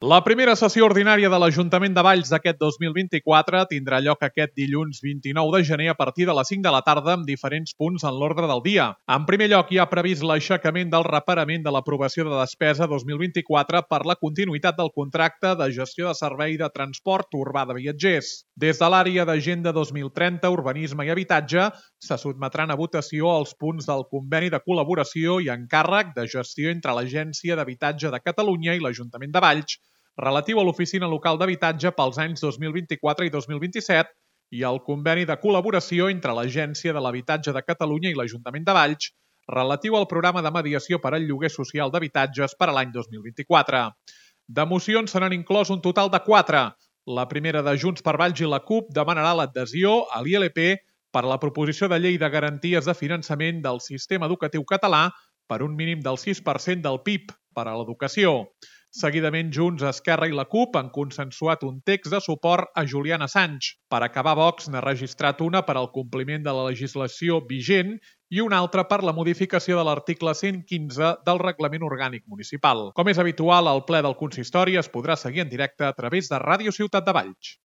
La primera sessió ordinària de l'Ajuntament de Valls d'aquest 2024 tindrà lloc aquest dilluns 29 de gener a partir de les 5 de la tarda amb diferents punts en l'ordre del dia. En primer lloc, hi ha previst l'aixecament del reparament de l'aprovació de despesa 2024 per la continuïtat del contracte de gestió de servei de transport urbà de viatgers. Des de l'àrea d'Agenda 2030, Urbanisme i Habitatge, se sotmetran a votació els punts del conveni de col·laboració i encàrrec de gestió entre l'Agència d'Habitatge de Catalunya i l'Ajuntament de Valls, relatiu a l'Oficina Local d'Habitatge pels anys 2024 i 2027 i el conveni de col·laboració entre l'Agència de l'Habitatge de Catalunya i l'Ajuntament de Valls relatiu al programa de mediació per al lloguer social d'habitatges per a l'any 2024. De mocions se n'han inclòs un total de 4. La primera de Junts per Valls i la CUP demanarà l'adhesió a l'ILP per a la proposició de llei de garanties de finançament del sistema educatiu català per un mínim del 6% del PIB per a l'educació. Seguidament, Junts, Esquerra i la CUP han consensuat un text de suport a Julian Assange. Per acabar, Vox n'ha registrat una per al compliment de la legislació vigent i una altra per la modificació de l'article 115 del Reglament Orgànic Municipal. Com és habitual, el ple del consistori es podrà seguir en directe a través de Ràdio Ciutat de Valls.